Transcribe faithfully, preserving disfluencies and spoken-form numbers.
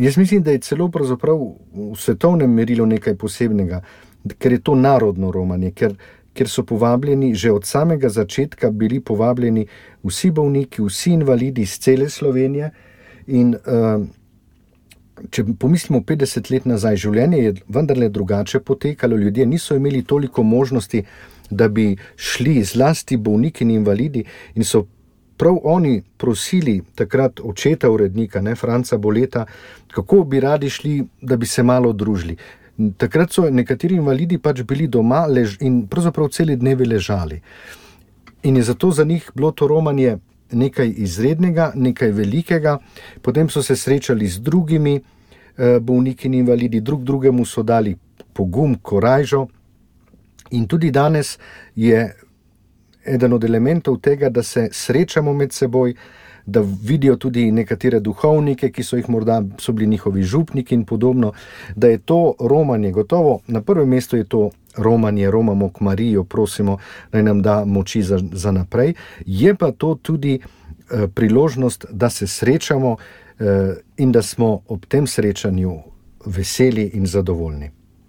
jaz mislim, da je celo pravzaprav v svetovnem merilu nekaj posebnega, ker je to narodno romanje, ker, ker so povabljeni, že od samega začetka bili povabljeni vsi bolniki, vsi invalidi iz cele Slovenije in uh, če pomislimo petdeset let nazaj, življenje je vendarle drugače potekalo, ljudje niso imeli toliko možnosti, da bi šli zlasti bolniki in invalidi in so prav oni prosili takrat očeta urednika, ne, Franca Boleta, kako bi radi šli, da bi se malo družili. Takrat so nekateri invalidi pač bili doma lež in pravzaprav celi dnevi ležali. In je zato za njih bilo to romanje nekaj izrednega, nekaj velikega, potem so se srečali z drugimi eh, bolniki in invalidi, drug drugemu so dali pogum, korajžo in tudi danes je eden od elementov tega, da se srečamo med seboj, da vidijo tudi nekatere duhovnike, ki so jih morda, so bili njihovi župniki in podobno, da je to romanje gotovo, na prvem mestu je to romanje, romamo k Marijo, prosimo, naj nam da moči za, za naprej, je pa to tudi eh, priložnost, da se srečamo eh, in da smo ob tem srečanju veseli in zadovoljni.